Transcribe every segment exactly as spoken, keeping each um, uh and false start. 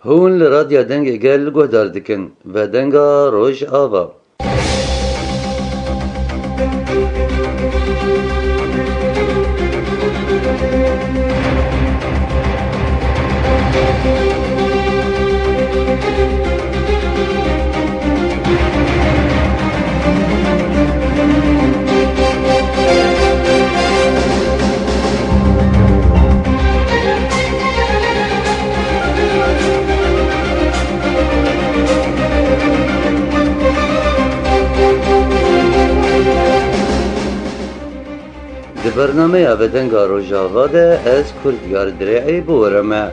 Hûn li Radya Dengê Gel guhdar dikin. Vedenga Rojava. Di bernameya Vedenga Rojava de ez Kurdiyar Dirê'ê bi we re me.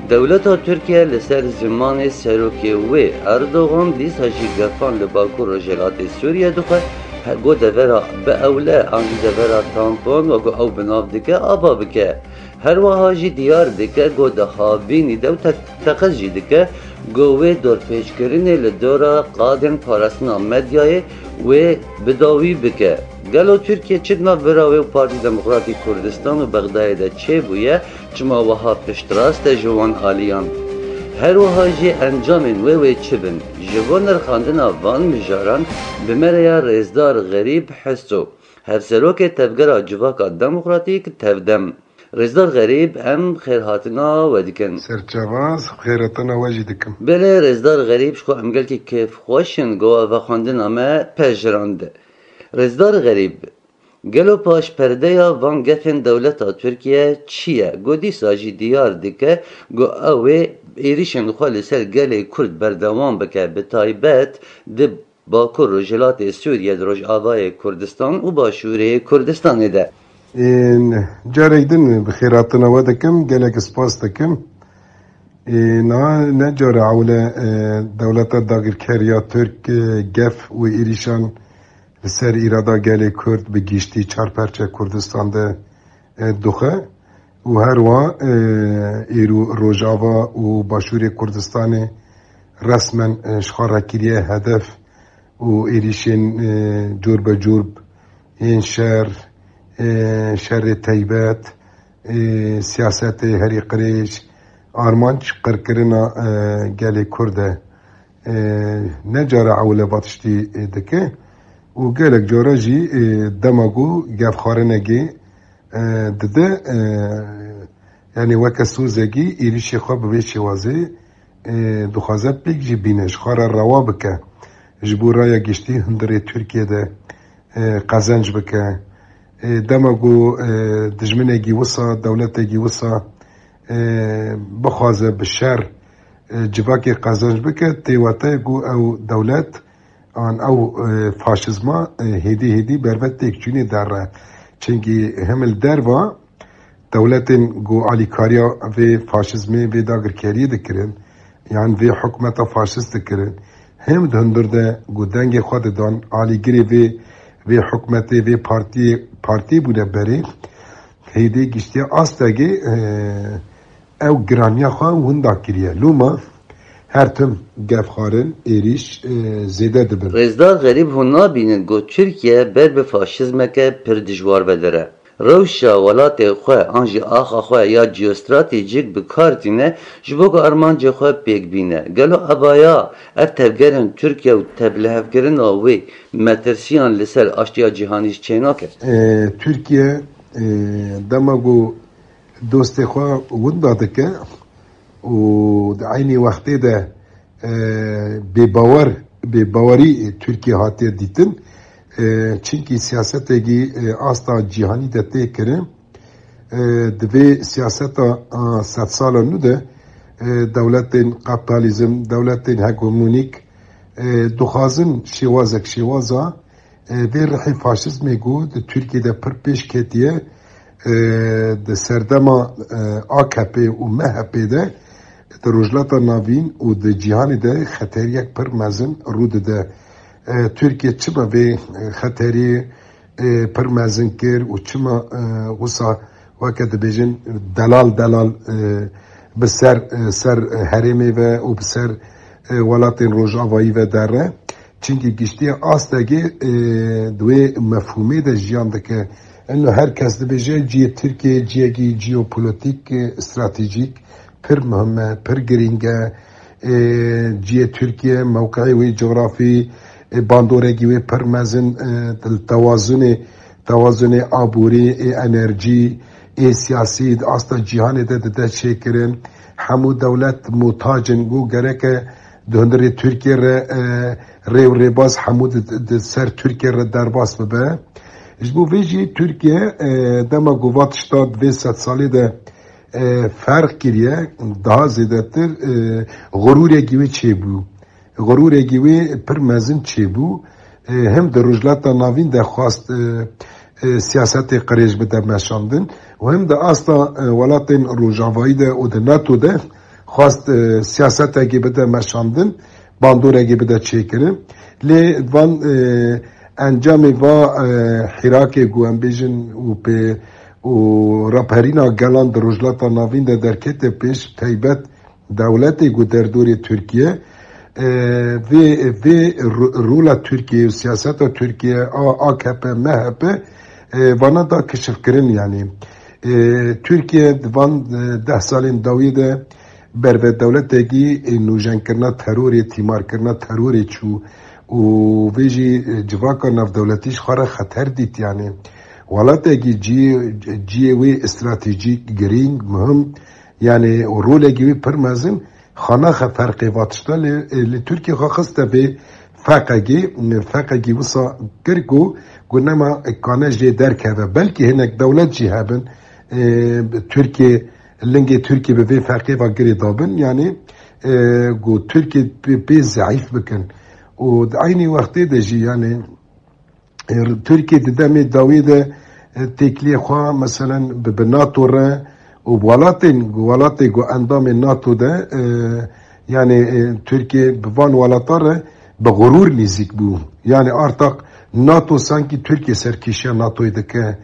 Dewleta Tirkiye li ser zimanê serokê wê Erdogan dîsa jî gefan li Bakur Rojhilatê Sûriye dixwe, he, ku devera biewle an jî devera tampon wekî ew bi nav dike ava bike. Her wiha jî diyar dike ku di havînî de û te-, teqez jî dike ku wê dorpêçkirinê li dora qadên parastina medyayê wê bi dawî bike. Gelo Tirkiye çi di navbera wê û Partî Demokratîk Kurdistan û Bexdayê de çêbûye? Çima wiha piştrast e ji wan aliyan? Her wiha jî encamên wê wê çi bin? Ji bo nirxandina van mijaran bi me re ya Rêzdar Xerîb Heso, Hevserokê Tevgera Civaka Demokratîk, Tevdem. Rêzdar Xerîb, em xêrhatina we dikin. Serçavaz, xêrhatina we jî dikim. Belê, Rêzdar Xerîb, ji xwe em gelkî kêfxweş in, ku we vexwendina me pejirand. Rêzdar Xerîb, gelo paşperdeya van gefên dewleta Tirkiye çi ye? Ku dîsa jî diyar dike, ku ew ê êrişên xwe li ser gelê Kurd berdewam bike, bi taybet di Bakur Rojhilatê Sûriye, di Rojavayê Kurdistan û Başûrê Kurdistanê de. Ên, carek din bi xêrhatina we dikim, gelek spas dikim. Ê, niha ne cara ewle, e, dewleta dagirker ya Tirk, e, gef û êrîşan li ser îrada gelê Kurd bi giştî çar perçe Kurdistan de, e, dixwe. Û her wiha, e, îro Rojava û Başûrê Kurdistanê resmen, e, ji xwe re kiriye hedef û êrîşên, e, cor be cor yên şer, e, şerê teybet, e, siyasetê herî qirêj, armanc qirkirina, e, gelê Kurd e. E, ne cara ewle va tiştî, e, dike û gelek cara jî, e, dema ku gefxwarinekê, e, dide, e, yanî weke sozekî êrîşê xwe bi vê şêwazê, e, dixwaze pêk jî bîne, ji xwe re rewa bike, ji bo raya giştî hundirê Tirkiye de, e, qezenc bike. E, dema ku, e, dijminekî wisa, dewletekî wisa, e, bixwaze bi şer, e, civakê qezenc bike, tê wateyê ku ew dewlet an ew, e, faşizma, e, hêdî hêdî berve têkçûnê derre. Çimkî hem li derva dewletên ku alîkariya vê faşizmê, vê dagirkeriyê dikirin, yan vê hikûmeta faşist dikirin, hem di hundir de ku dengê xwe didan, alîgirê vê, vê hikûmetê, vê partiyê, partiyê bûne berê, hêdî giştiye astekê, e, ew giraniya xwe winda kiriye. Loma her tim gefxwarin, êrîş, e, zêde dibin. Rêzdar Xerîb, hûn nabînin ku Tirkiye ber bi faşizmeke pir dijwar vedire? Rewşa welatê xwe an jî axa xwe ya jeostratejîk bi kar tîne ji bo ku armancê xwe pêk bîne. Gelo evaya ev tevgerên Tirkiye û teblihevkirina wê metirsiyan li ser aştiya cîhanî jî çênake? E, Tirkiye, e, dema ku dostê xwe winda dike û di eynî wextê de, e, bêbawer, bêbawerî Tirkiye hatiye dîtin. E, çimkî siyasetekî, e, asta cîhanî de tê kirin. E, di vê siyaseta, a, sedsala nû de, e, dewletên kapitalizm, dewletên hegemonîk, e, dixwazin şêwazek şêwaza e, vê rihê faşizmê ku di Tirkiye de pir pêş ketiye, e, di serdema, e, A K P û M H P de di Rojhilata Navîn û di cîhanê de xeteriyek pir mezin rû dide. E, Tirkiye çima vê, e, xeteriyê, e, pir mezin kir û çima, e, wisa weke dibêjin delal delal, e, bi ser, e, ser herêmê ve û bi ser, e, welatên Rojavayî ve derre? Çimkî giştiye astekê, e, di wê mefhûmê de jiyan dike. Eno her kes dibêje cihê Tirkiyê cihekî jeopolîtîk, e, stratejîk, Pir muhim e, pir girîng e. Ê, cihê Tirkiye, mewqeyê wê cografî, ê, bandorekî wê pir mezin, ê, li tewazunê, tewazunê aborî, ê, enerjî, ê, siyasî, di asta cîhanê de dide çêkirin. Hemû dewlet muhtac in, ku gereke di hundirê Tirkiye re, e, rê û rêbaz hemû di, di ser Tirkiye re derbas bibe. Ji bo vê jî Tirkiye, e, dema ku va tişta di vê sedsalê de, e, ferq kiriye, daha zêdetir, e, xurûrekî wê çêbû. Xurûrekî wê pir mezin çêbû. E, hem di Rojhilata Navîn de xwast, e, e, siyasetê qirêj bide meşandin û hem di asta, e, welatên Rojavayî de û di NATO de xwast, e, siyasetekê bide meşandin, bandorekê bide çêkirin. Lê van, e, encamê va, e, hîrakê ku em bêjin û pê û raperîna gelan di Rojhilata Navîn de derkete pêş, taybet dewletê ku derdorê Tirkiye, e, vê, vê ro-, rola Tirkiye û siyaseta Tirkiye a AKP, MHP, e, vana da kişifkirin, yanî. E, Tirkiye di van, e, deh salên dawiyê de berve dewletekî, e, nûjenkirina terorê, tîmarkirina terorê çû û vê jî, e, civaka navdewletî ji xwe re xeter dît, yanî. Welatekî cihê, cihê wê stratejîk, girîng, muhim, yanî, û rolekî wê pir mezin, xanaxe ferqê va tişta lê, e, li Tirkiye xwe xiste vê feqekî, feqekî wisa kir ku, ku nema kane jê derkeve. Belkî hinek dewlet jî hebin, e, Tirkiye, lingê Tirkiye bi vê feqê ve girê dabin, yanî, e, ku Tirkiye pê, pê zeîf bikin. Û di eynî wextê de jî, yanî, e, Tirkiye di demê dawî de, e, têkiliyê xwe, meselen, bi, bi NATO re û welatên, welatê ku endamê NATO de, e, yanî, e, Tirkiye bi van welata re bi xurûr nêzîk bû. Yanî artak NATO sankî Tirkiye serkêşiya NATOyê dike.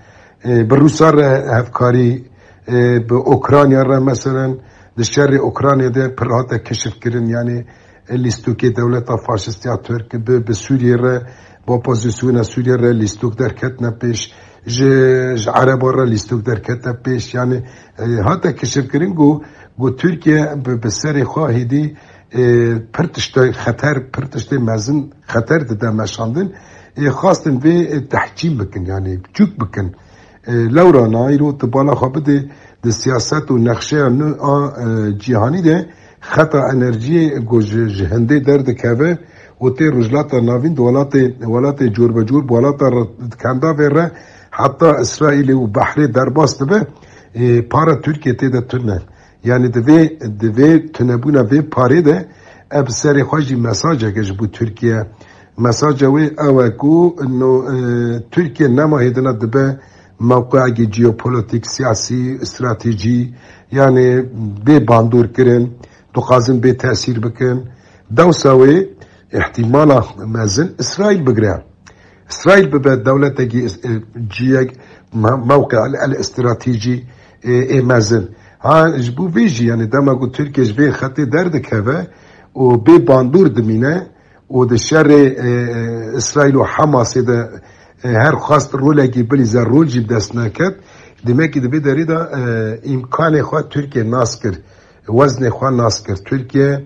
E, bi Rûsa re hevkarî, e, bi Ukrayna re, meselen, di şerê Ukraynayê de pir hate keşifkirin, yanî, e, lîstokê dewleta faşîst ya Tirk, bi, bi Sûriyê re, bi opozisyona Sûriyê re lîstok derketine pêş, ji, ji Ereba re lîstok derketine pêş, yanî, e, hate keşifkirin ku, ku Tirkiye bi, bi serê xwe hêdî, e, pir tiştê xeter, pir tiştê mezin xeter dide meşandin, e, xwastin vê, e, tehcîn bikin, yanî çûk bikin. E, lewra na îro tu bala xwe bidê di siyaset û nexşeya nû a, e, cîhanî de xeta enerjiyê ku ji, ji hindê derdikeve û tê Rojhilata Navîn di welatê, welatê cor be cor, bi welata re, di kendavê re heta Îsraîlê û behrê derbas dibe, e, para Tirkiye tê de tune. Yanî di vê, di vê tunebûna vê parê de ev serê xwe jî mesajeke ji bo Tirkiye. Mesaja wê ew e ku no, e, Tirkiye nema hêdina dibe mewqeyekî jeopolitîk, siyasî, stratejî, yanî bê bandor kirin, dixwazin bê tesîr bikin. Dewsa wê îhtîmala mezin Îsraîl bigire. Îsraîl bibe dewletekî is-, e, ciyek me-, mewqe el, el stratejî, e, ê mezin. Ha, ji bo vê jî, yanî dema ku Tirkiye ji vê xetê derdikeve û bê bandor dimîne û di şerê, e, e, Îsraîl û Hamasê de, e, her xwest rolekî bilîze, rol jî bi dest neket, demekî di vê derê de, e, îmkanê xwe Tirkiye nas kir. Weznê xwe nas kir. Tirkiye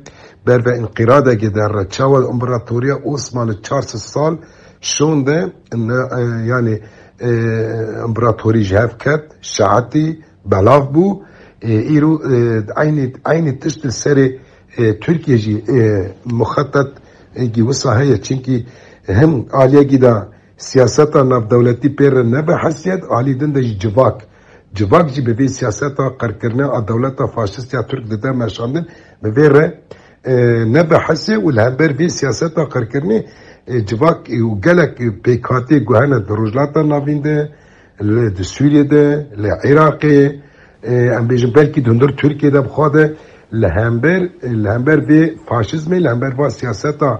ber ve înqîradekê de re, çawa împaratoriya Osmanlî çar sed sal şonde, ne, e, yanî, e, împaratorî ji hev ket, şaetî, belav bû. E, îro, e, eynî, eynî tişt li serê, e, Tirkiye jî, e, muxetet, e, gî wisa heye. Çimkî him aliyekî de siyaseta navdewletî pê re ne bi hesiyet, alî din de jî civak. Civak jî bi vê siyaseta qirkirinê a dewleta faşîst ya Tirk dide meşandin, bi vê re, e, ne bi hesê û li hember vê siyaseta qirkirinê, e, civak, e, û gelek, e, pêkhatiyê ku hene di Rojhilata Navîn de, li, di Sûriyê de, li Iraqê, e, em bêjin belkî di hundir Tirkiye de bi xwe de, li hember, li hember vê faşîzmê, li hember va siyaseta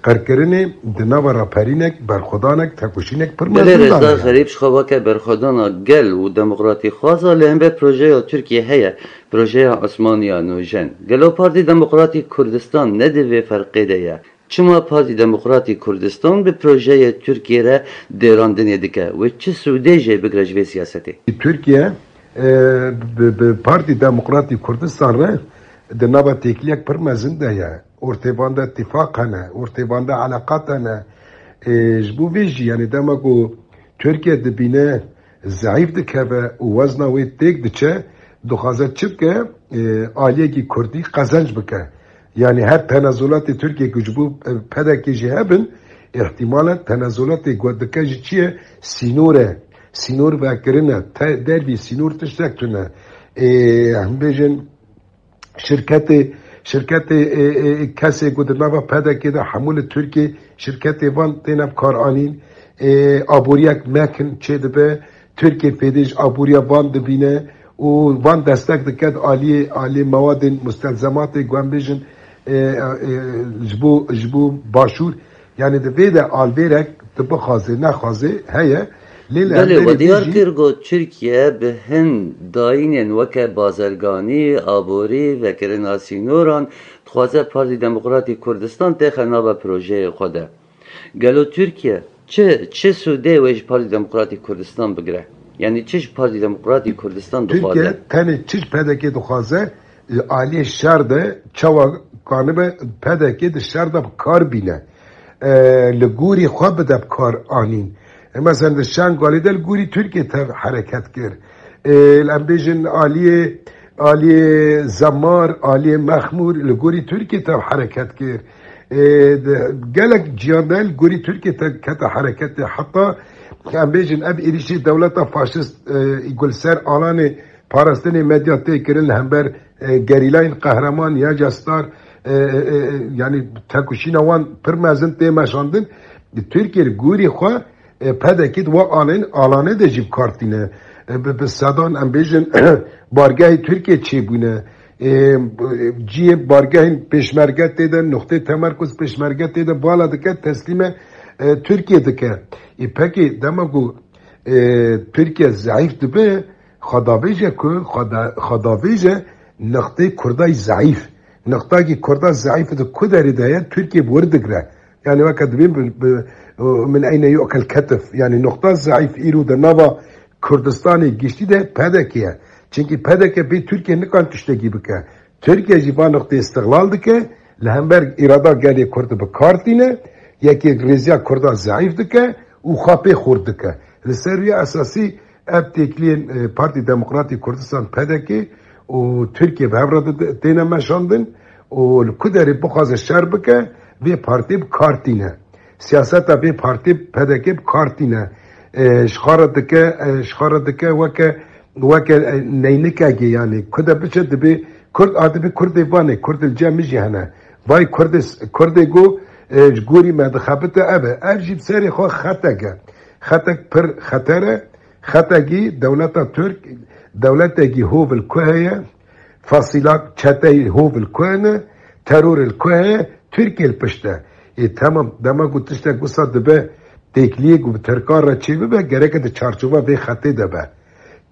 qirkirinê di nava raperînek, berxwedanek, tekoşînek pir Belê mezin de Rêzdar heye. Xerîb ji xwe weke berxwedana gel û demokratîxwaza li hember projeya Tirkiye heye, projeya Osmaniya Nûjen. Gelo Partî Demokratîk Kurdistan ne di vê ferqê de ye? Çima Partî Demokratîk Kurdistan bi projeyê Tirkiye re dêrandinê dike? Wê çi sûdê jê bigire ji vê siyasetê? Tirkiye E, bi, bi Partî Demokratî Kurdistan re di nava têkiliyek pir mezin de ye. Ortê van de tifaq hene, ortê van de eleqat hene. E, ji bo vê jî, yanî dema ku Tirkiye dibîne zehîf dikeve û wezna wê têk diçe, dixwaze çi bike? E, aliyekî Kurdî qezenc bike. Yanî her tenezulatê Tirkiye ku ji bo, e, P D K jî hebin, îhtimalen tenezulatê ku dike jî çi ye? Sînor e. Sînor vekirine, te-, dervî sînor tiştek tune. Ê, em bêjin şirketê, şirketê, ê, ê, kesê ku di nava P D K de hemû li Tirkiye şirketê van têne bi kar anîn. Ê, aboriyek mekin çêdibe. Tirkiye fêdê ji aboriya van dibîne û van destek dike di aliyê, aliyê mewadên mustelzematê ku em bêjin, e, e, ji bo, ji bo başûr. Yanî di vê de alvêrek tu bixwazê, nexwazê heye. Lê li Belê, hemberî we vê diyar jî kir ku Tirkiye bi hin dayînên weke bazerganî, aborî, vekirina sînoran dixwaze Partî Demokratî Kurdistan têxe nava projeyê xwe de. Gelo Tirkiye çi, çi sûdê wê ji Partî Demokratî Kurdistan bigire? Yanî çi ji Partî Demokratî Kurdistan dixwaze? Tirkiye tenê çi ji P D K dixwaze, li aliyê şer de çawa kanibe P D K di şer de bi kar bîne. E, li gorî xwe bide bi kar anîn. E, mesela li Şengalê de li gorî Tirkiye tev hereket kir. E, em bêjin aliyê, aliyê Zemar, aliyê Mexmûr li gorî Tirkiye tev hereket kir. E, de, gelek ciyan de li gorî Tirkiye te kete hereketê. Heta em bêjin ev êrîşê dewleta faşist, e, ku li ser alanê parastinê medya tê kirin li hember, e, gerîlayên qehreman ya Cestar, e, e, e, yanî tekoşîna wan pir mezin tê meşandin. Tirkiye li gorî xwe, e, P D K di wa alên, alane de jî bi kar tîne. E, bi, bi sedan em bêjin bargehê Tirkiye çêbûne. E, cihê bargehên pêşmerge tê de, nuqtê temerkuz pêşmerge tê de, bala dike, teslîme, e, Tirkiye dike. E, pekî dema ku, e, Tirkiye zehîf dibe, xwe davêje ku, xwe da-, xwe davêje nuqtê Kurda yî zehîf. Nuqtakî Kurda zehîf di ku derê de ye, Tirkiye bi wir digre. Yanî weke dibên bi, bi, min eyne yu'kel ketif. Yanî nuqta zehîf îro di nava Kurdistanê giştî de P D K ye. Çimkî P D K bê Tirkiye nikan tiştekî bike. Tirkiye jî van nuqtê îstiqlal dike, li hember îrada gelê Kurd bi kar tîne, yekê rêziya Kurda zehîf dike û xwe pê xurt dike. Li ser wî esasî ev têkiliyên, e, Partî Demokratîk Kurdistan, P D K, û Tirkiye bi hev re di-, têne meşandin û li ku derê bixwaze şer bike, vê partî bi kar tîne. Siyaseta vê partî P D K bi kar tîne. E, ji xwe re dike, e, ji xwe re dike weke, weke, e, neynikekê, yanî ku de biçe dibê Kurd, a dibê Kurdê Vanê, Kurd li cem min jî hene. Vay Kurdê, Kurdê ku, e, ji gorî me dixebite ev e. Ev jî bi serê xwe xetek e. Xetek pir xeter e. Xetekî dewleta Tirk, dewletekî hov li ku heye, fasîla çeteyî hov li ku hene, teror li ku heye, Tirkiye li pişt e. Ê, temam, dema ku tiştek wisa dibe, têkiliyê ku bi Tirkan re çê bibe, gereke di çarçova vê xetê de be.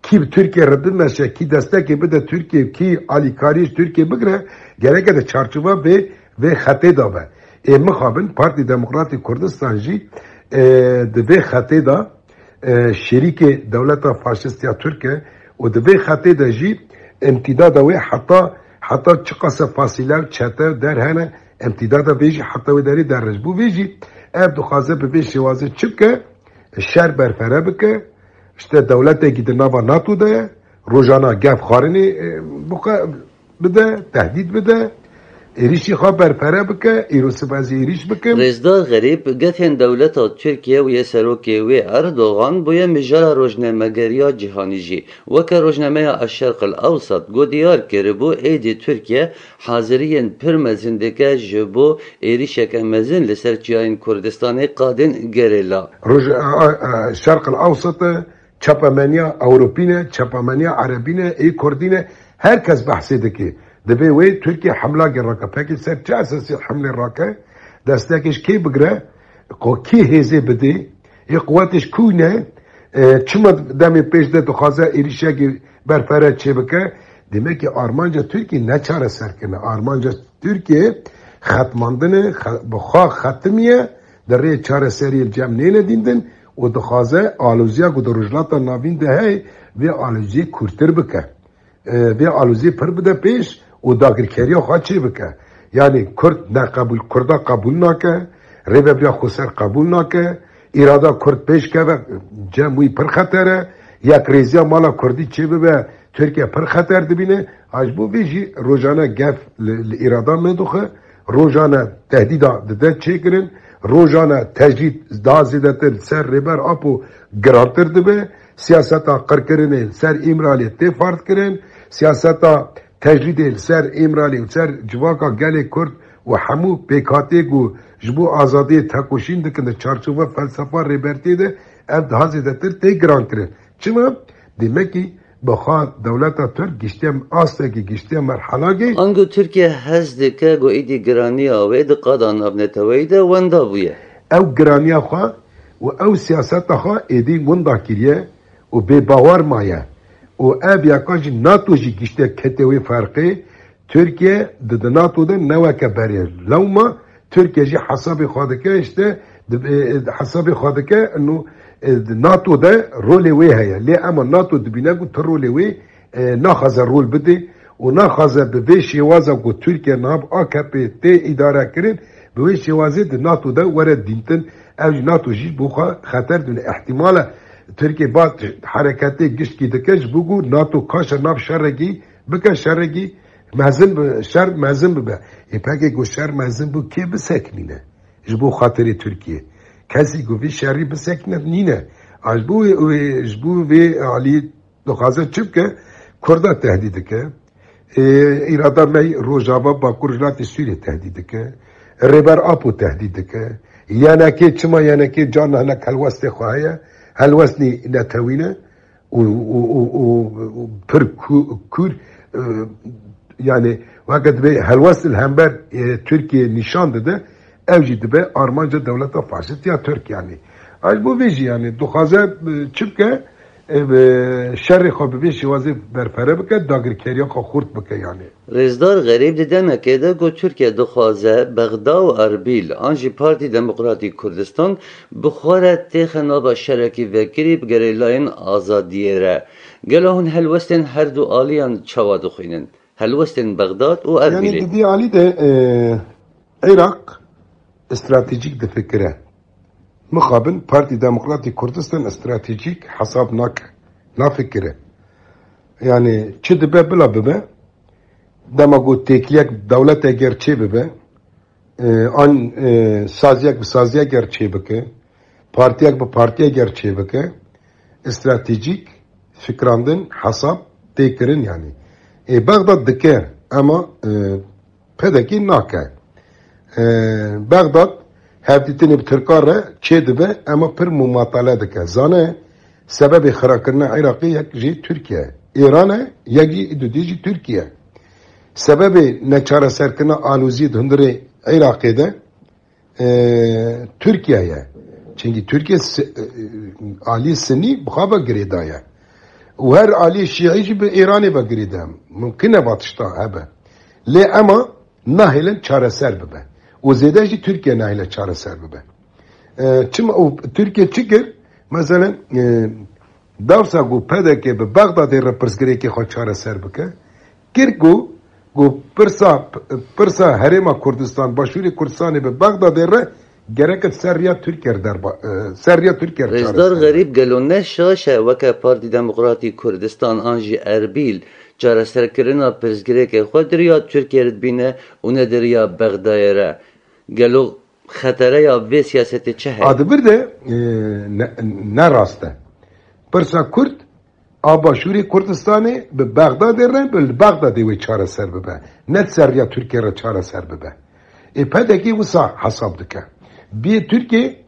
Kî bi Tirkiye re bimeşe, kî destekê bide Tirkiye, kî alîkariyê ji Tirkiye bigire, gereke di çarçova vê, vê xetê de be. Ê, mixabin Partî Demokratîk Kurdistan jî, e, di vê xetê de e, şerîkê dewleta faşist ya Tirk e û di vê xetê de jî îmtîdada wê heta, heta çiqas e fasîle û çete û der hene, îmtîdada vê jî heta wê derê derê. Ji bo vê jî ev dixwaze bi vê şêwazê çi bike? Şer berfere bike. İşte dewletekî di nava NATO de ye. Rojana gef xwarinê, e, bike. bide, tehdît bide, êrîşî xwe berpere bike, îro sibe ez ê êrîş bikim. Rêzdar Xerîb, gefên dewleta Tirkiye û yê serokê wê Erdogan bûye mijara rojnamegeriya cîhanî jî. Weke rojnameya Eşşerq El Ewsat ku diyar kiribû, êdî Tirkiye haziriyên pir mezin dike ji bo êrîşeke mezin li ser çiyayên Kurdistanê qadên gerîla. Roj-, a, a, Şerq El Ewsat e, Çapemeniya Ewropî ne, çapemeniya Erebî ne, ê Kurdî ne, her kes behsê dike. Divê wê Tirkiye hemlagê rake. Pekî ser çi esasî hemlê rake? Destekê ji kê bigire? Xwe kî hêzê bidê? Ê quwetê ji ku ne? E, çima demê pêş de dixwaze êrîşekê berfere çêbike? Demek ki armanca Tirkiye ne çareserkirine. Armanca Tirkiye xetmandin e, xe-, bi xwe xetimiye, di rê çareseriyê li cem nêne dîndin û dixwaze aloziya ku di Rojhilata Navîn de heye, vê aloziyê kûrtir bike. E, vê aloziyê pir bide pêş û dagirkeriya xwe çê bike. Yanî Kurd neqebûl, Kurda qebûl nake, Rêveberiya Xweser qebûl nake, îrada Kurd pêş keve, cem wî pir xeter e, yekrêziya mala Kurdî çê bibe, Tirkiye pir xeter dibîne. Ha ji bo vê jî rojane gef li, li îrada me dixe, rojane tehdîda dide çêkirin, rojane tecrîd daha zêdetir li ser Rêber Apo girantir dibe. Siyaseta qirkirinê li ser Îmraliyê tê ferdkirin. Siyaseta tecrîdê li ser Îmralî û ser civaka gelê Kurd û hemû pêkhatiyê ku ji bo azadiyê tekoşîn dikin di çarçoveya felsefa Rêbertiyê de ev daha zêdetir tê girankirin. Çima? Demekî bi xwe dewleta Tirk giştiye astekî, giştiye merhelakê. Ango Tirkiye hez dike ku êdî giraniya wê di qada navneteweyî de wenda bûye. Ew giraniya xwe û ew siyaseta xwe êdî winda kiriye û bêbawer maye. Û ev yeka jî NATO jî giştiye kete wê ferqê. Tirkiye di, di NATO de ne weke berê lewma Tirkiye jî hesabê xwe dike, işte, di, e, e, hesabê xwe dike, ino, e, di NATO de rolê wê heye. Lê ema NATO dibîne ku tu rolê wê, e, naxwaze rol bidê û naxwaze bi vê şêwaza ku Tirkiye niha bi A K P tê îdare kirin, bi wê şêwazê di NATO de were dîntin. Ev jî NATO jî bo xwe xeter dibîne. Îhtimal e Tirkiye ba hereketê giştkî dike ji bo ku NATO kaşe nav şerekî bike, şerekî mezin bi, şer mezin bibe. Ê pekê ku şer mezin bû kê biseknîne? Ji bo xatirê Tirkiye. Kesî ku vî şerî bisekne nîne. A ji bo wê, wê, ji bo vê alî dixwaze çi bike? Kurda tehdîd dike. Ê, îrada me Rojava Bakur Rojhilatê Sûriyê tehdîd dike. Rêber Apo tehdîd dike. Y N K, çima Y N K carna hinek helwestê xwe heye? Helwest nî netewî ne. û, û, û, û, û pir ku-, kûr, e, yani weke dibê helwest li hember, e, Tirkiye nîşan dide, ev jî dibe armanca dewleta faşist ya Tirk yani. Ay bo vê jî yani dixwaze, e, çi bike, e, bi şerê xwe bi vê şêwazê berpere bike, dagirkeriya xwe xurt bike yani. Rêzdar Xerîb di demekê de ku Tirkiye dixwaze Bexda û Erbîl an jî Partî Demokratîk Kurdistan bi xwe re têxe nava şerekî vekirî bigere layên azadiyê re. Gelo hûn helwestên her du aliyan çawa dixwînin? Helwestên Bexdad û Erbîlê. Yanî di vî alî de, e, Iraq stratejîk difikire. Mixabin Partî Demokratîk Kurdistan stratejîk hesab nake, nafikire. Yani çi dibe bila bibe, dema ku têkiliyek dewlete ger çê bibe, e, an, e, saziyek bi saziyek ger çê bike, partiyek bi partiyek ger çê bike, stratejîk fikrandin, hesab tê kirin yani. Ê Bexdad dike, ema, e, P D K nake. E, Bexdad hevdîtinê bi Tirkan re çê dibe, ema pir mumatale dike. Zane sebebê xirakirina Iraqê yek jî Tirkiye ye. Îran e, yek jî dudî jî Tirkiye. Sebebê neçareserkirina aloziyê di hundirê Iraqê de, e, Tirkiye ye. Çünkü Tirkiye si-, e, alî Sinî bi xwe ve girêdaye. Û her alî Şîî jî bi Îranê ve girêdaye. Mumkin e va tişta hebe. Lê ema nahêlin çareser bibe. Û zêde jî Tirkiye nahêle çareser bibe. E, çima û Tirkiye çi kir? Mesela, e, dawsa ku P D K bi Bexdadê re pirsgirêkê xwe çareser bike, kir ku, ku pirsa, pirsa Herêma Kurdistan, Başûrê Kurdistanê bi Bexdadê re gerek ser riya Tirkiye re derba, e, ser riya Tirkiye re çareser. Rêzdar Xerîb, gelo ne şaş e weke Partî Demokratîk Kurdistan an jî Erbîl çareserkirina pirsgirêkê xwe di riya Tirkiye re dibîne û ne di riya Bexdayê re? Gelo xetereya vê siyasetê çi heye? A di vir de, e, ne, ne rast e. Pirsa Kurd a Başûrê Kurdistanê bi Bexdadê re, bi li Bexdadê wê çareser bibe. Ne di ser riya Tirkiye re çareser bibe. Ê P D K wisa hesab dike. Biyê Tirkiye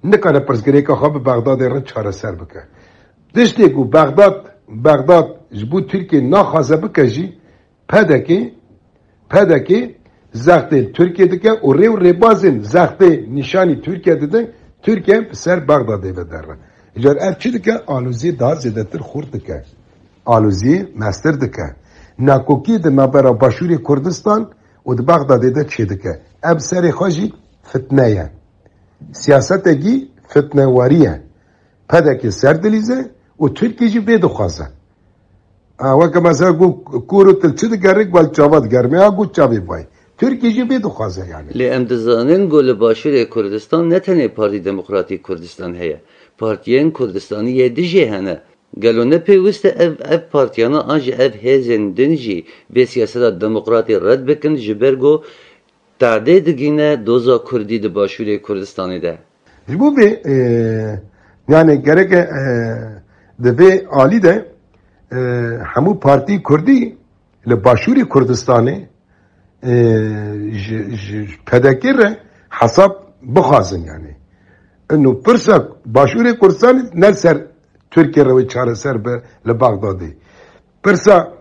nikare pirsgirêka xwe bi Bexdadê re çareser bike. Tiştê ku Bexdad, Bexdad ji bo Tirkiye naxwaze bike jî, P D K, P D K zextê li Tirkiye dike û rê û rêbazên zextê nîşanî Tirkiye didin, Tirkiye bi ser Bexdadê ve derre. Îcar ev çi dike? Aloziyê daha zêdetir xurt dike. Aloziyê mestir dike. Nakokiyê di navbera Başûrê Kurdistan û di Bexdadê de çêdike. Ev serê xwe jî fitne ye. Siyasetekî fitnewarî ye. P D K ser dilîze û Tirkî jî vê dixwaze. Ha, weke mesela ku kûr û til çi digerik, wel çava digerime, ya ku çavê vay. Tirkî jî vê dixwaze yani. Lê em dizanin ku li Başûrê Kurdistan ne tenê Partî Demokratîk Kurdistan heye. Partiyên Kurdistanî yê dijê hene. Gelo ne pêwist e ev, ev partiyana an jî ev hêzên din jî vê siyaseta demokratî red bikin, ji ber ku tadê digîne doza Kurdî di Başûrê Kurdistanê de? Ji bo vê, e, yani gereke, e, di vê alî de, e, hemû partî Kurdî li Başûrê Kurdistanê, e, ji, ji P D K re hesab bixwazin yani. Ino pirsa Başûrê Kurdistanê ne ser Tirkiye re wê çareser be li Baxdadê. Pirsa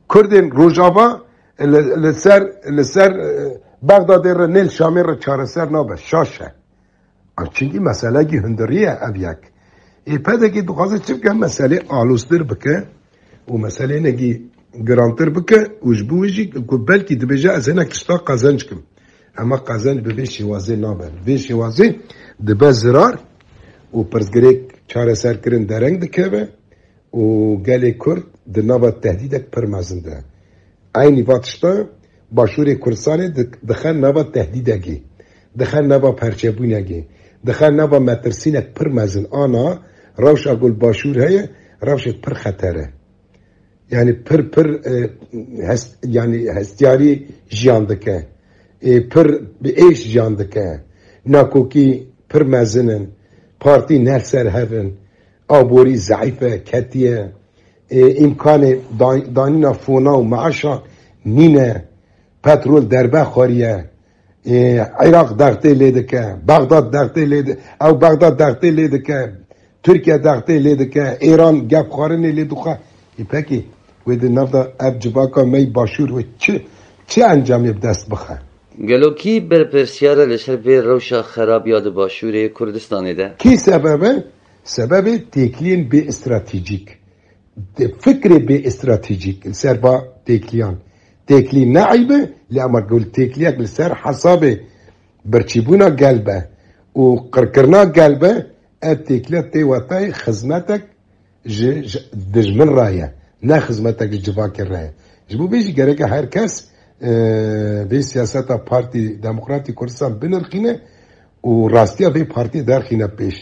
Kurdên Rojava li, li ser, li ser, e, Baxdadê re nê li Şamê re çareser nabe. Şaş e. Çunkî meselekî hundirî ye ev yek. Ê P D K dixwaze çi bike? Meselê aloztir bike û meselê hinekî girantir bike û ji bo wê jî ku belkî dibêje ez hinek tişta qezenc kim. Ema qezenc bi vê şêwazê nabe. Vê şêwazê dibe zirar û pirsgirêk çareserkirin dereng dikeve û gelê Kurd di nava tehdîdek pir mezin de. Eynî va tişta Başûrê Kurdistanê di-, dixe nava tehdîdekê, dixe nava perçebûnekê, dixe nava metirsînek pir mezin. Ana rewşa ku li Başûr heye, rewşek pir xeter e. Yani pir pir, e, hes-, yani hestiyarî jiyan dike. E, pir bi êş jiyan dike. Nakokî pir mezin in. Partî ne li ser hev in. Aborî zeîf e, ketiye. E, îmkanê dan-, danîna fona û meaşa nîne. Petrol derbe xwariye. E, Iraq dextê lê dike. Bexdad dextê lê di-, ew Bexdad dextê lê dike. Tirkiye dextê lê dike. Îran gep xwarinê lê dixwe. Ê pekî wê di nav de ev civaka me yî Başûr wê çi, çi encamê bi dest bixe? Gelo kî berpirsiyar e li ser vê rewşa xerab ya di Başûrê Kurdistanê de? Kî sebeb e? Sebebê têkiliyên bê stratejîk. Di fikrê bê stratejîk li ser va têkiliyan. Têkilî ne eyb e, lê ema ku têkiliyek li ser hesabê birçîbûna gel be û qirkirina gel be, ev têkiliya tê wetayê xizmetek ji, ji dijmin re ye, ne xizmetek ji civakê re ye. Ji bo vê jî gereke her kes, e, vê siyaseta Partî Demokratî Kurdistan binirxîne û rastiya vê partiyê derxîne pêş.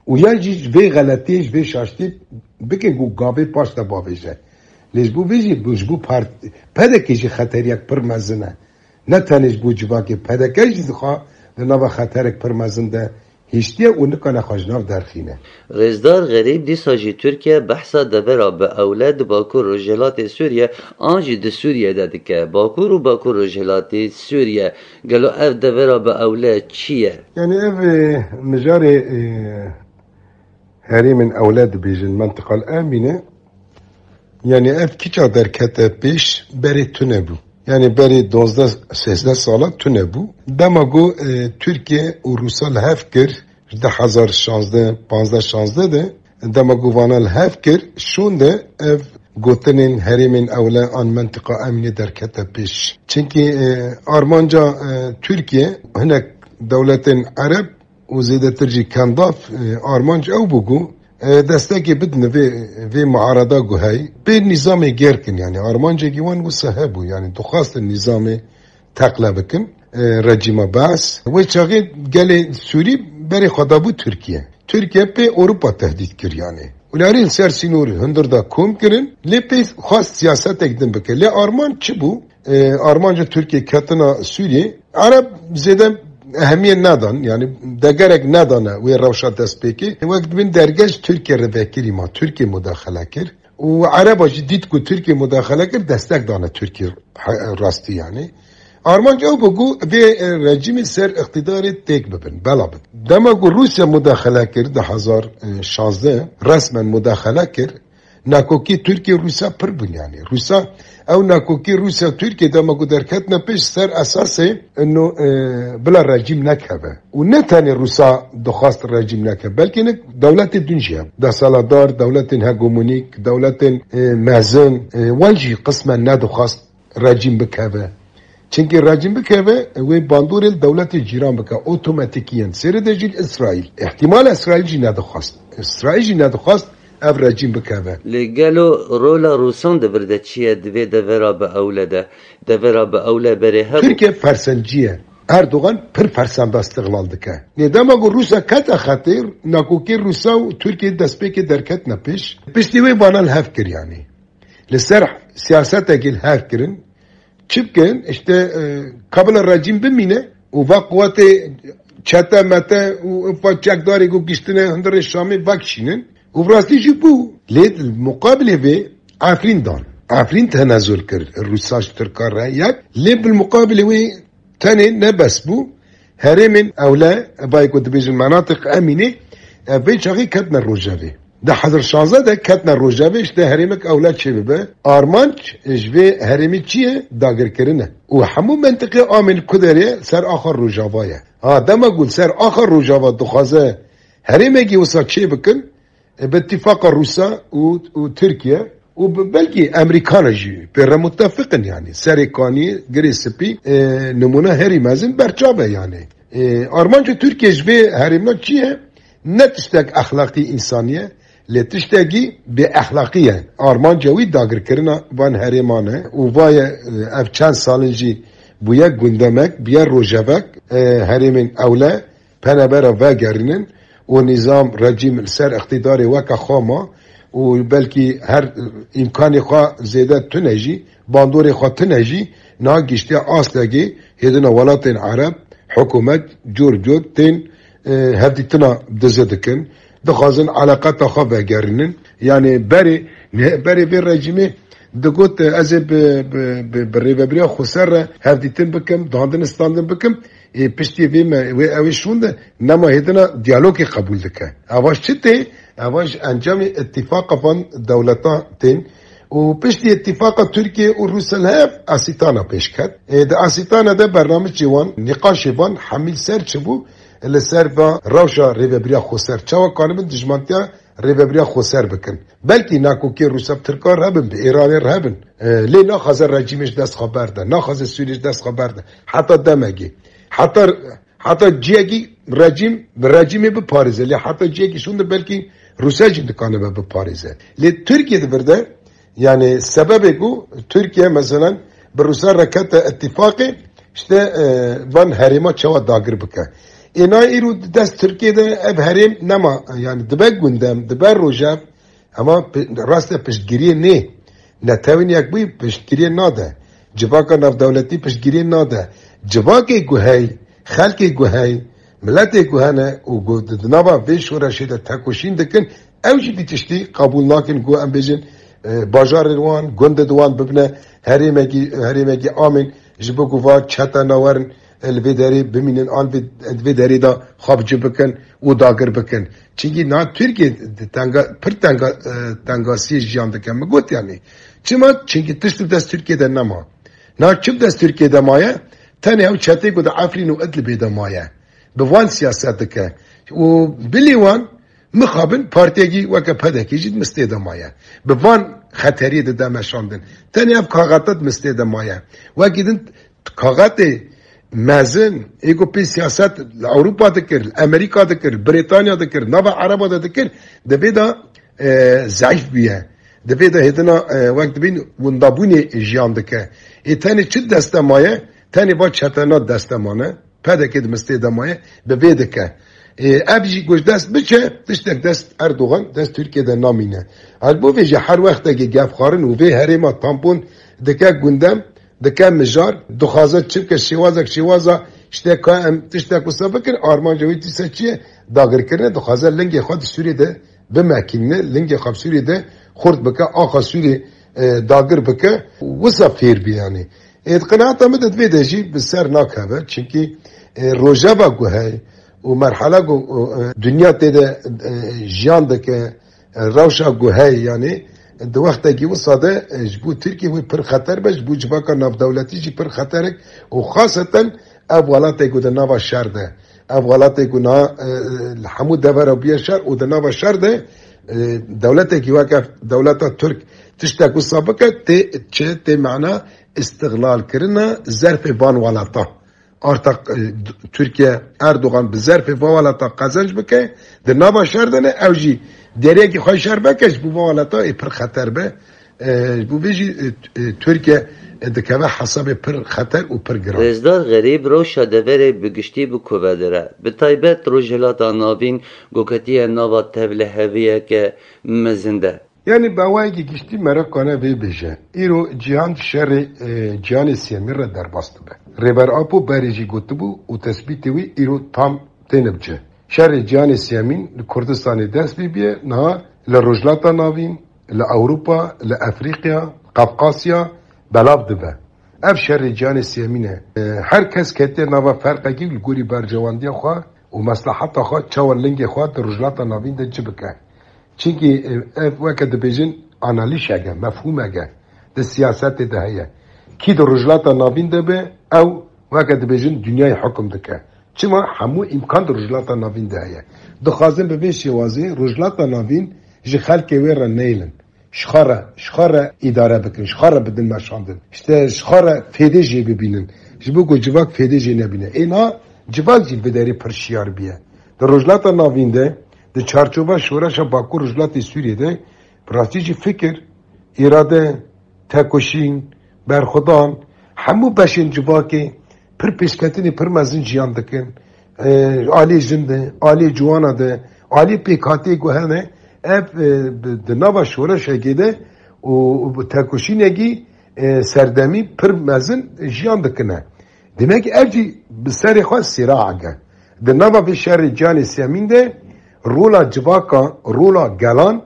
Û yan jî ji vê xeletiyê, ji vê şaştiyê bikin ku gavê paş de bavêje. Lê ji bo vê jî, ji bo part-, P D K jî xeteriyek pir mezin e. Ne tenê ji bo civakê, P D K jî dixwe di nava xeterek pir mezin de hiştiye û nikane xwe ji nav derxîne. Rêzdar Xerîb dîsa jî Tirkiye behsa devera bi ewle di Bakur Rojhilatê Sûriye an jî di Sûriye de dike. Bakur û Bakur Rojhilatê Sûriye, gelo ev devera bi ewle çi ye? Yani ev, e, mijarê, e, herêmên ewle dibêjin, mentiqal emîne. Yani ev kîça derkete pêş, berê tune bû. Yani berê duwazdeh sêzdeh sala tune bû. Dema ku, e, Tirkiye û Rûsa li hev kir, ji du hezar şazdeh, panzdeh şazdeh de, dema ku vana li hev kir, şûn de ev gotinên herêmên ewle an mentiqa emînê derkete pêş. Çimkî, e, armanca, e, Tirkiye hinek dewletên Ereb û zêdetir jî Kendav, e, armanc ew bû ku, e, destekê bidin vê, vê muarada ku heyî. Pê nîzamê gêr kin, yani armancekî wan wisa hebû, yani dixwastin nîzamê teqle bikin, e, rejîma Beas. Wê çaxê gelê Sûrî berê xwe dabû Tirkiye. Tirkiye pê Ewropa tehdît kir yani. Û larî li ser sînorê hundir da kom kirin, lê pê xwest siyasetek din bike. Lê armanc çi bû? E, armanca Tirkiye ketina Sûriyê, Ereb zêde ehemiyet nedan, yani degerek nedane wê rewşa destpêkê. Wek dibin derge ji Tirkiye re vekirî ma, Tirkiye mudaxele kir. Û Ereba jî dît ku Tirkiye mudaxele kir, destek dane Tirkiye he-, rastî yani. Armanc ew bû ku vê, e, rejîmê ser îqtidarê têk bibin, bela bibin. Dema ku Rûsya mudaxele kir di hezar şazdeh, resmen mudaxele kir, nakokî Tirkiye Rûsya pir bûn yani. Rûsya, ew nakokî Rûsya Tirkiye dema ku derketine pêş ser esasê ino, e, bila rejîm nekeve. Û ne tenê Rûsa dixwast rejîm neke, belkî ne dewletê din jî hebe. Desthilatdar, dewletên hegemonîk, dewletên, e, mezin, e, wan jî qismen nedixwast rejîm bikeve. Çimkî rejîm bikeve, wê bandorê li dewletê cîran bike, otomatîkiyen. Sêrê de jî li Îsraîl. Îhtimal Îsraîl jî nedixwast. Îsraîl jî nedixwast ev rejîm bikeve. Lê gelo rola Rûsan di vir de çi ye di vê devera bi ewle de? Devera bi ewle berê hebû. Tirkiye fersencî ye. Erdogan pir fersenda îstiqlal dike. Nê dema ku Rûsa kete xetê, nakokê Rûsa û Tirkiye destpêkê derketine pêş. Piştî wê vana li hev kir yanî. Li ser siyasetekê li hev kirin. Çi bikin? Îşte, e, kabila rejîm bimîne û va quwetê çete mete û va çekdarê ku giştine hundirê Şamê vekişînin. Û bi rastî jî bû. Lê li muqabilê vê Efrîn dan. Efrîn tenezul kir Rûsa ji Tirka re yek. Lê bi muqabilê wê tenê ne bes bû. Herêmên ewle, evayê ku dibêjin menatiq emînê, ev vê çaxê ketine rojevê. Di hezar şanzeh de ketine rojevê, işte herêmek ewle çêbibe. Armanc ji vê herêmê çi ye? Dagirkirin e. Û hemû mentiqê amên ku derê ser axa rojava ye. Ha, dema ku ser axa rojava dixwaze herêmekî wisa çê bikin, e, bi îtîfaqa Rûsa û, û Tirkiye û bi-, belkî Emerîkana jî pê re mutefiq in yanî. Serê Kaniyê, Girê Spî, e, nimûne herî mezin berçav e yanî. E, armanca Tirkiye ji vê herêmna çi ye? Ne tiştek exlaqî însanî ye, lê tiştekî bêexlaqî ye. Armanca wî dagirkirina van herêman e û vaye, e, ev çend salin jî bûye gundemek, bûye rojevek, e, herêmên ewle, penebera vegerînin û nîzam, rejîm li ser îqtîdarê weke xwe ma û belkî her îmkanê xwe zêde tune jî, bandorê xwe tune jî, niha giştiye astekê hêdina welatên Ereb, hikûmet cor cor tên, e, hevdîtina dize dikin, dixwazin eleqeta xwe vegerînin. Yanî berê, berê vê rejîmê digot, ez ê bi, bi, bi, bi rêvebiriya xweser re hevdîtin bikim, dandin standin bikim. Ê piştî vê me, wê ew ê şûnde nema hêdina diyalogê qebûl dike. Eva ji çi tê? Eva ji encamê îtîfaqa van dewletan tên. Û piştî îtîfaqa Tirkiye û Rûsya li hev Asîtana pêş ket. Ê di Asîtana de bernamicê wan, nîqaşê van hemî li ser çi bû? Li ser va rewşa rêvebiriya xweser. Çawa kanibin dijmantiya rêvebiriya xweser bikin. Belkî nakokê Rûsya bi Tirkan re hebin, bi Îranê re hebin. E, lê naxwaze rejîmê ji dest xwe berde, naxwaze Sûriyê ji dest xwe berde. Heta demekê. Heta, heta ciyekî rejîm, bi rejîmê biparêze. Lê heta ciyekî şûnde belkî Rûsya jî dikanibe biparêze. Lê Tirkiye di vir de, yanî sebebê ku Tirkiye, meselen, bi Rûsya re kete îtîfaqê, işte, e, van herêma çawa dagir bike. Ê na îro di dest Tirkiye de ev herêm nema, yanî dibe gundem, dibe rojev, ema pi-, raste piştgiriyê nê. Netewên Yekbûyî piştgiriyê nade. Civaka navdewletî piştgiriyê nade. Civakê ku hey, xelkê ku hey, miletê ku hene û ku di, di nava vê şoreşê de tekoşîn dikin, ew jî vî tiştî qebûl nakin ku em bêjin, e, bajarên wan, gundên wan bibine herêmekî, herêmekî amên, ji bo ku va çete nawerin, e, li vê derê bimînin, an vê, di vê derê de xwe bi cih bikin û dagir bikin. Çimkî niha Tirkiye di tenga, pir tenga, e, tengasiyê jiyan dike. Min got yanî. Çima? Çimkî tişt bi dest Tirkiye de nema. Niha çi bi dest Tirkiye de maye? Tenê ew çetê ku di Efrîn û Idlibê de maye. Bi van siyaset dike. Û bilî wan mixabin partiyekî weke P D K jî di mistê de maye. Bi van xeteriyê dide meşandin. Tenê ev kaxete di mistê de maye. Wekî din kaxetê mezin, ê ku pê siyaset li Ewropa dikir, li Amerîka dikir, li Brîtanya dikir, nava Ereba de dikir, di vê de, e, zeîf bûye. Di vê de hêdina, e, wek dibîn windabûnê jiyan dike. Ê tenê çi deste maye? Tenê va çetena deste mane. P D K di mistê de maye, bi vê dike. Ê, ev jî ku ji dest biçe, tiştek dest Erdogan, dest Tirkiye de namîne. Ez bo vê jî her wextekê gefxwarin û vê herêma tampon dike gundem, dike mijar, dixwaze çi bike şêwazek şêwaza, işte ka em tiştek wisa bikin, armanca wê dîsa çi ye? Dagirkirine, dixwaze lingê xwe di Sûriyê de bimekînine, lingê xwe bi Sûriyê de xurt bike, axa Sûriyê, e, dagir bike, wisa fêr bî yanî. Ê, di qenaeta min de divê de jî bi ser nakeve, çimkî, e, rojeva ku hey û merhala ku, e, dinya tê de, e, jiyan dike, e, rewşa ku hey, yanî di wextekî wisa de, e, ji bo Tirkiye wê pir xeter be, ji bo civaka navdewletî jî pir xeterek û xaseten ev welatê ku di nava şer de, ev welatê ku na, e, li hemû devera bûye şer û di nava şer de, e, dewletekî weke dewleta Tirk tiştek wisa bike, tê çi, tê mana Îstixlalkirina zerfê van welata. Arta, e, Tirkiye, Erdogan bi zerfê van welata qezenc bike, di nava şer de ne, ew jî deriyekî xwe şer veke, ji bo van welata ê pir xeter be. E, ji bo vê jî, e, e, Tirkiye, e, dikeve hesabê pir xeter û pir giran. Rêzdar Xerîb, rewşa deverê bi giştî bi ku ve dire? Bi taybet Rojhilata Navîn ku ketiye nava tevliheviyeke mezin de. Yanî bi awayekî giştî meraq kane vê bêje. Îro cîhan şerê, e, cîhanê sêyemîn re derbas dibe. Rêber Apo berê jî gotibû û tespîtê wî îro tam têne bi cih. Şerê cîhanê sêyemîn li Kurdistanê dest pê bîye, niha li Rojhilata Navîn, li Ewropa, li Efrîqya, Qafqasya belav dibe. Ev şerê cîhanê sêyemîn e. E, her kes ketiye nava ferqekî li gorî berjewendiya xwe û mesleheta xwe çawa lingê xwe di Rojhilata Navîn de ci bike. Çimkî, e, ev weke dibêjin analîşek e, mefhûmek e, di siyasetê de heye. Kî di Rojhilata Navîn de be, ew weke dibêjin dinyayê hukum dike. Çima? Hemû îmkan di Rojhilata Navîn de heye. Dixwazin bi vê şêwazê Rojhilata Navîn ji xelkê wê re neyilin. Ji xwe re, ji xwe re îdare bikin, ji xwe re bidin meşandin. Îşte ji xwe re fêdê jê bibînin. Ji bo ku civak fêdê jê nebîne. Ê niha civak jî bi derê pir şiyar bûye. Di Rojhilata Navîn de, di çarçova şoreşa Bakur Rojhilatê Sûriyê de, bi rastî jî fikir, îrade, tekoşîn, berxwedan, hemû beşên civakê pir pêşketinê pir mezin jiyan dikin. E, alê jin de, alê ciwana de, alê pêkhatiyê ku hene, ev, e, bi, di nava şoreşekê de û, û bi tekoşînekî, e, serdemî pir mezin jiyan dikine. Demek ev jî bi serê xwe sîraek e. Di nava vê şerê cîhanê sêyemîn de rola civaka, rola gelan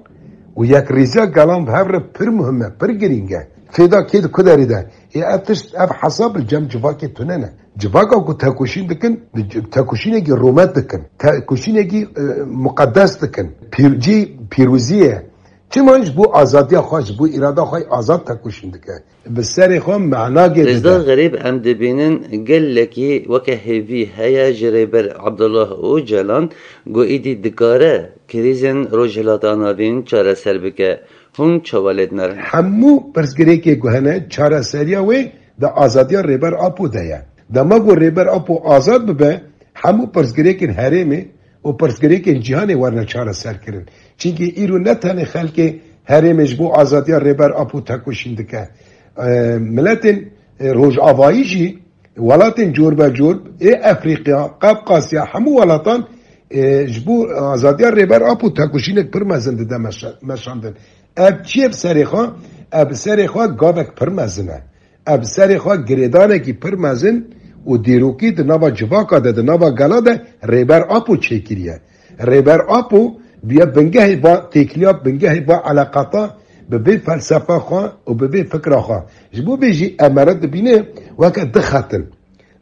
û yekrêziya gelan bi hev re pir muhim e, pir girîng e. Fêda kê di ku derê de? Ê ev tişt, ev hesab li cem civakê tune ne. Civaka ku tekoşîn dikin, bi c-, tekoşînekî rûmet dikin. Tekoşînekî, e, muqedes dikin. Pîr-, cî pîrozî ye. Çima ji bo azadiya xwe, ji bo îrada xwe azad tekoşîn dike. Bi serê xwe mena gê dide. Rêzdar Xerîb, em dibînin gelekî weke hêvî heye ji Rêber Abdullah Ocalan ku êdî dikare krîzên Rojhilata Navîn çareser bike. Hûn çawa lê dinêrin? Hemû pirsgirêkê ku hene, çareseriya wê di azadiya Rêber Apo de ye. Dema ku Rêber Apo azad bibe, hemû pirsgirêkên herêmê û pirsgirêkên cîhanê werne çareserkirin. Çimkî îro ne tenê xelkê herêmê ji bo azadiya Rêber Apo tekoşîn dike. E, miletên, e, rojavayî jî, welatên corbecor ê Efrîqya, Qafqasya, hemû welatan, e, ji bo azadiya Rêber Apo tekoşînek pir mezin dide meşe-, meşandin. Ev çi ye bi serê xwe? Ev bi serê xwe gavek pir mezin e. Ev bi serê xwe girêdanekî pir mezin û dîrokî di nava civaka de, di nava gela de Rêber Apo çêkiriye. Rêber Apo bûye bingehê va têkiliya, bingehê va eleqata bi vê felsefa xwe û bi vê fikra xwe. Ji bo vê jî em ê re dibîne weke du xet in.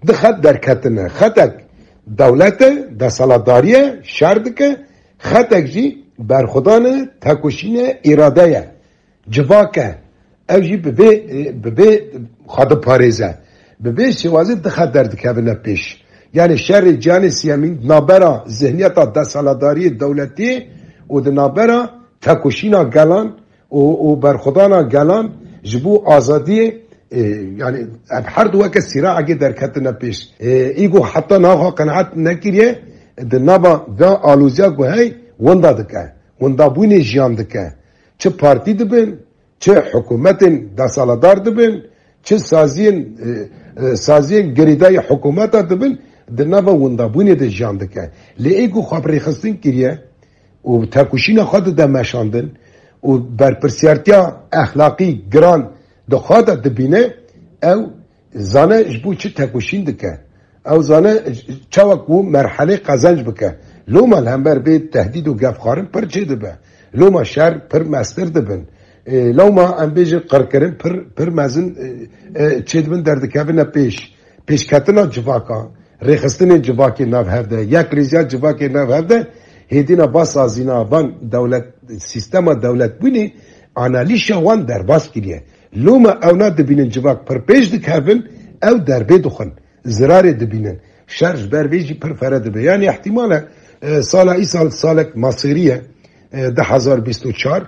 Du xet derketine. Xetek dewlet e, desthilatdarî ye, şer dike, xetek jî berxwedan e, tekoşîn e, îrade ye. Civak e. Ew jî bi vê, bi vê xwe diparêze. Bi vê şêwazê du xet derdikevine pêş. Yanî şerê cîhanê siyemîn di navbera zihniyeta desthilatdariyê dewletî û di navbera tekoşîna gelan û, û berxwedana gelan ji bo azadiyê, e, yanî ev her du weke sîraekê derketine pêş. E, îgo heta niha xwe qenaet nekiriye, di nava vê aloziya ku hey, winda dike. Windabûnê jiyan dike. Çi partî dibin, çi hikûmetên desthilatdar dibin, çi saziyên, e, e, saziyên girêdayî hikûmeta dibin, di nava windabûnê de jiyan dike. Lê ê ku xwe bi rêxistin kiriye û tekoşîna xwe dide meşandin û berpirsiyartiya exlaqî giran di xwe de dibîne, ew zane ji bo çi tekoşîn dike. Ew zane çawa ku merhelê qezenc bike. Loma li hember vê tehdîd û gefxwarin pir çêdibe. Loma şer pir mestir dibin. E, loma em bêjin qirkirin pir, pir mezin, e, e, çêdibin, derdikevine pêş. Pêşketina civaka, rêxistinên civakê nav hev de, yekrêziya civakê nav hev de, hêdîna va sazîna van dewlet, sîstema dewletbûnê analîşa wan derbas kiriye. Loma ewna dibînin civak pir pêş dikevin, ew derbê dixwin, zirarê dibînin. Şer ji ber vê jî pir fere dibe. Yanî ihtimal e, e, sala îsal salek masêrî ye, e, du hezar bîst û çar,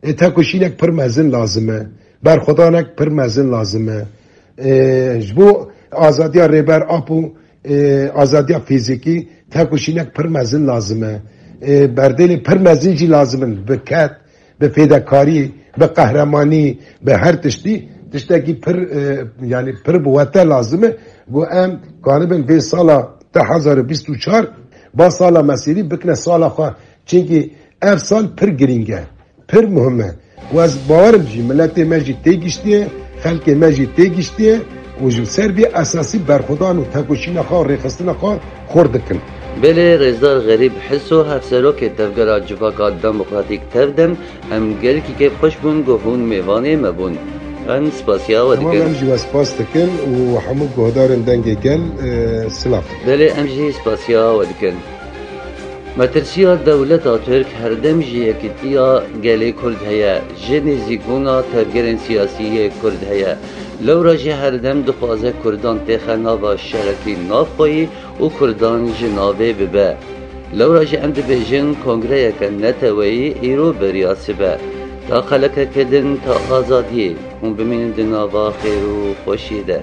e, tekoşînek pir mezin lazim e, berxwedanek pir mezin lazim e, E, ji bo azadiya Rêber Apo, e, azadiya fîzîkî tekoşînek pir mezin lazim e. E, berdêlê pir mezin jî lazim in bi ked, bi fêdekarî, bi qehremanî, bi her tiştî, tiştekî pir, e, yanî pir bi wete lazim e. Ku em karibin vê sala du hezar û bîst û çar, ba sala mesîrî bikine sala xwe. Çimkî ev sal pir girîng e, pir muhim e. Û ez bawerim jî miletê me jî têgiştiye, xelkê me jî têgiştiye û ji ser vê esasî berxwedan û tekoşîna xwe û rêxistina xwe xurt dikin. Belê, Rêzdar Xerîb Hiso, Hevserokê Tevgera Civaka Demokratîk, Tevdem, em gelekî kêfxweş bûn ku hûn mêvanê me bûn. Em spasiya we Tamam, dikin. Em jî we spas dikin û hemû guhdarên Dengê Gel, e, silav. Belê, em jî spasiya we dikin. Metirsiya dewleta Tirk herdem ji yekîtiya gelê Kurd heye, ji nêzîkbûna tevgerên siyasî yê Kurd heye. Lewra jî herdem dixwaze Kurdan têxe nava şerekî navxweyî û Kurdan ji navê bibe. Lewra jî em dibêjin kongreyeke neteweyî îro beriya sibe. Ta qelekeke din, ta azadiyê, hûn bimînin di nava xêr û xweşiyê de.